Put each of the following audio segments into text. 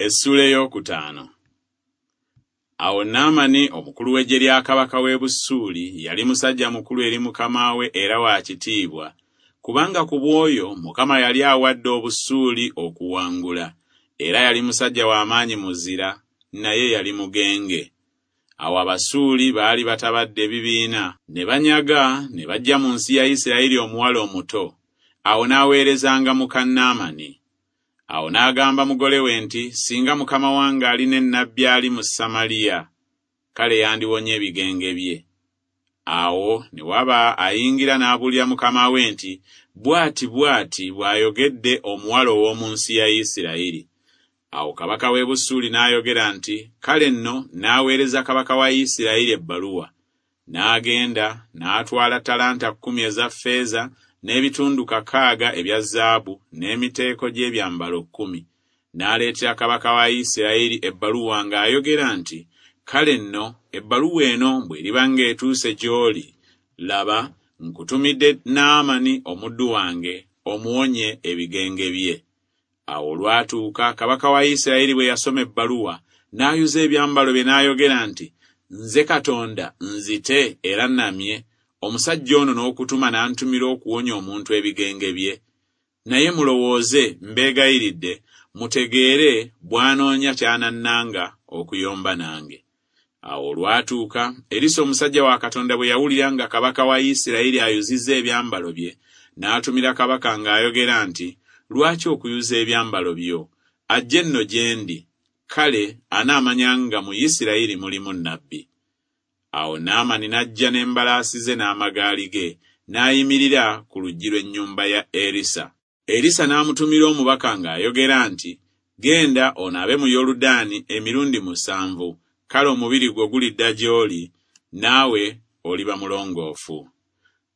Essuula eyookutaano. Awo Naamani omukulu w'eggye lya kabaka w'e Busuuli yali musajja mukulu eri mukama we era wa kitiibwa, kubanga ku bw'oyo Mukama yali awadde Obusuuli okuwangula, era yali musajja wa maanyi muzira, naye yali mugenge. Awo Abasuuli baali batabadde ebibiina, ne banyaga ne baggya mu nsi ya Isirayiri omuwala omuto. Awo n'aweerezanga muka Naamani. Awo n'agamba mugole we nti, Singa mukama wange ali ne nnabbi ali mu Samaliya! Kale yandiwonye ebigenge bye. Awo ne waba ayingira n'abuulira mukama we nti, Bw'ati bw'ati bw'ayogedde omuwala ow'omu nsi ya Isirayiri. Awo kabaka w'e Busuuli n'ayogera nti, Kale nno nnaaweereza kabaka wa Isirayiri ebbaluwa. N'agenda n'atwala ttalanta kkumi eza ffeeza n'ebitundu kakaaga ebya zaabu n'emiteeko gy'ebyambalo kkumi. N'aleetera kabaka wa Isirayiri ebbaluwa ng'ayogera nti, Kale nno, ebbaluwa eno bw'eriba ng'etuuse gy'oli, laba, nkutumidde Naamani omuddu wange, omuwonye ebigenge bye. Awo olwatuuka kabaka wa Isirayiri bwe yasoma ebbaluwa, n'ayuza ebyambalo bye n'ayogera nti, Nze Katonda nzite era nnamye, omusajja ono n'okutuma n'antumira okuwonya omuntu ebigenge bye? Naye mulowooze, mbeegayiridde, mutegeere bw'anoonya ky'anannanga okuyomba nange. Awo olwatuuka, Erisa omusajja wa Katonda bwe yawulira nga kabaka wa Isirayiri ayuzizza ebyambalo bye, n'atumira kabaka ng'ayogera nti, Lwaki okuyuza ebyambalo byo? Ajje nno gye ndi, kale anaamanya nga mu Isirayiri mulimu nnabbi. Awo Naamani n'ajja n'embalaasi ze n'amagaali ge, n'ayimirira ku luggi lw'ennyumba ya Erisa. Erisa n'amutumira omubaka ng'ayogera nti, Genda onaabe mu Yoludaani emirundi musanvu, kale omubiri gwo gulidda gy'oli, naawe oliba mulongoofu.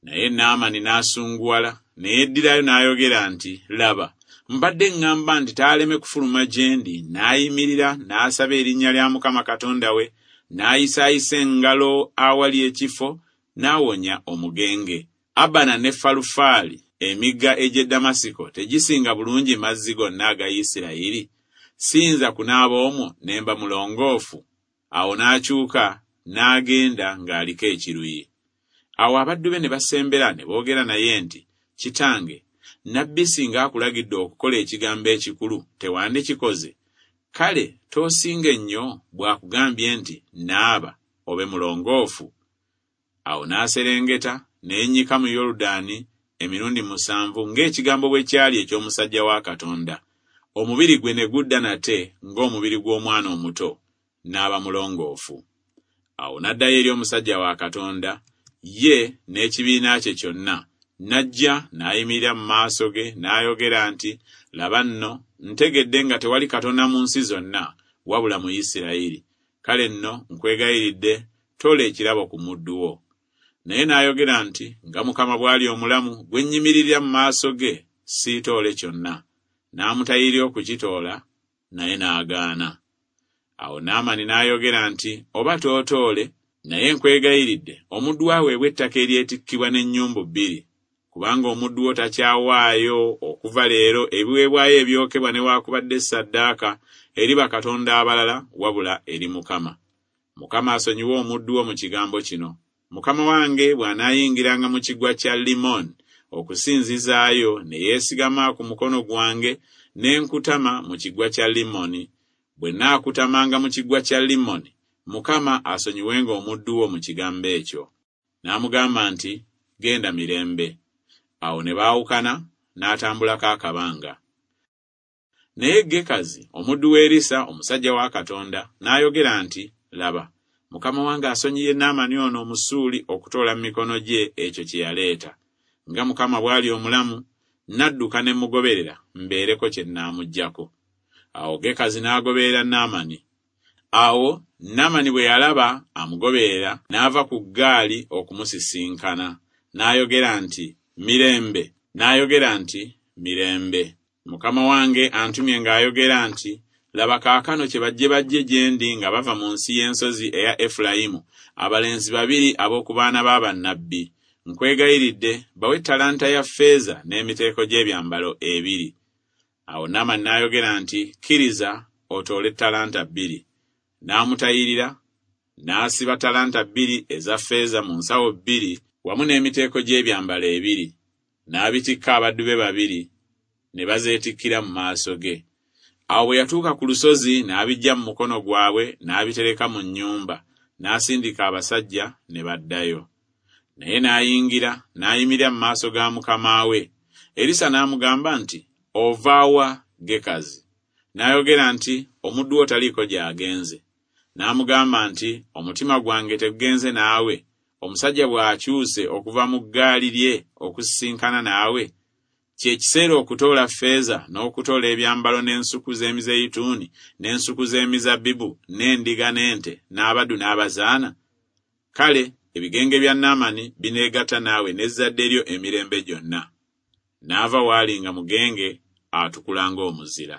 Naye Naamani n'asunguwala, ne yeddirayo n'ayogera nti, Laba, mbadde ŋŋamba nti taaleme kufuluma gye ndi, n'ayimirira n'asaba erinnya lya Mukama Katonda we, n'ayisaayisa engalo awali ekifo, n'awonya omugenge. Abana ne Falufaali, emigga egy'e Damasiko, tegisinga bulungi mazzi gonna aga Isirayiri? Siyinza kunaaba omwo ne mba mulongoofu? Awo n'akyuka n'agenda ng'aliko ekiruyi. Awo abaddu be ne basembera ne boogera naye nti, Kitange, nnabbi singa akulagidde okukola ekigambo ekikulu, tewandikikoze? Kale toosinge nnyo bw'akugambye nti, Naaba, obe mulongoofu? Awo n'aserengeta, ne yennyika mu Yoludaani emirundi musanvu ng'ekigambo bwe kyali eky'omusajja wa Katonda, omubiri gwe ne gudda nate ng'omubiri gw'omwana omuto, n'aba mulongoofu. Awo n'addayo eri omusajja wa Katonda, ye n'ekibiina kye kyonna, n'ajja n'ayimirira mu maaso ge n'ayogera nti, Laba nno, ntegedde nga tewali Katonda mu nsi zonna, wabula mu Isirayiri. Kale nno, nkwegayiridde, toola ekirabo ku muddu wo. Naye n'ayogera nti, Nga Mukama bw'ali omulamu, gwe nnyimiririra mu maaso ge, siitoole kyonna. N'amutayirira okukitoola, naye n'agaana. Awo Naamani n'ayogera nti, Oba tootoole, naye nkwegayiridde, omuddu wo aweebwe ettaka eryetikkibwa n'ennyumbu bbiri, kubanga omuddu wo takyawaayo okuva leero ebiweebwayo ebyokebwa newaakubadde ssaddaaka eri bakatonda abalala wabula eri Mukama. Mukama asonyiwe omuddu wo mu kigambo kino. Mukama wange bw'anaayingiranga mu Kiggwa kya Limoni okusinzizaayo, ne yeesigama ku mukono gwange, ne nkutama mu Kiggwa kya Limoni, bwe nnaakutamanga mu Kiggwa kya Limoni, Mukama asonyiwenga omuddu wo mu kigambo ekyo. N'amugamba nti, Genda mirembe. Awo ne baawukana, n'atambulako akabanga. Naye Gekazi omuddu wa Erisa omusajja wa Katonda n'ayogera nti, Laba, mukama wange asonyiye Naamani ono Omusuuli okutoola mu mikono gye ekyo kye yaleeta. Nga Mukama bw'ali omulamu, nnadduka ne mmugoberera mbeereko kye nnaamuggyako. Awo Gekazi n'agoberera Naamani. Awo Naamani bwe yalaba amugoberera, n'ava ku ggaali okumusisinkana, n'ayogera nti, Mirembe! N'ayogera nti, Mirembe! Mukama wange antumye ng'ayogera nti, Laba kaakano kyebajje bajje gye ndi nga bava mu nsi y'ensozi eya Efulayimu, abalenzi babiri ab'oku baana ba bannabbi. Nkwegayiridde, bawe ttalanta ya ffeeza n'emiteeko gy'ebyambalo ebiri. Awo Naamani n'ayogera nti, Kkiriza otoole ttalanta bbiri. N'amutayirira, n'asiba ttalanta bbiri eza ffeeza mu nsawo bbiri wamu n'emiteeko gy'ebyambalo ebiri, n'abitikka abaddu be babiri, ne bazeetikkira mu maaso ge. Awo bwe yatuuka ku lusozi n'abiggya mu mukono gwabwe n'abitereka mu nnyumba, n'asindika abasajja ne baddayo. Naye n'ayingira n'ayimirira mu maaso ga mukama we. Erisa n'amugamba nti, Ova wa, Gekazi? N'ayogera nti, Omuddu wo taliiko gy'agenze. N'amugamba nti, Omutima gwange tegugenze naawe, omusajja bw'akyuse okuva mu ggaali lye okusisinkana naawe? Kye kiseera okutoola ffeeza n'okutoola ebyambalo n'ensuku z'emizeyituuni n'ensuku z'emizabbibu n'endiga n'ente n'abaddu n'abazaana? Kale ebigenge bya Naamani bineegatta naawe n'ezzadde lyo emirembe gyonna. N'ava w'ali nga mugenge atukula ng'omuzira.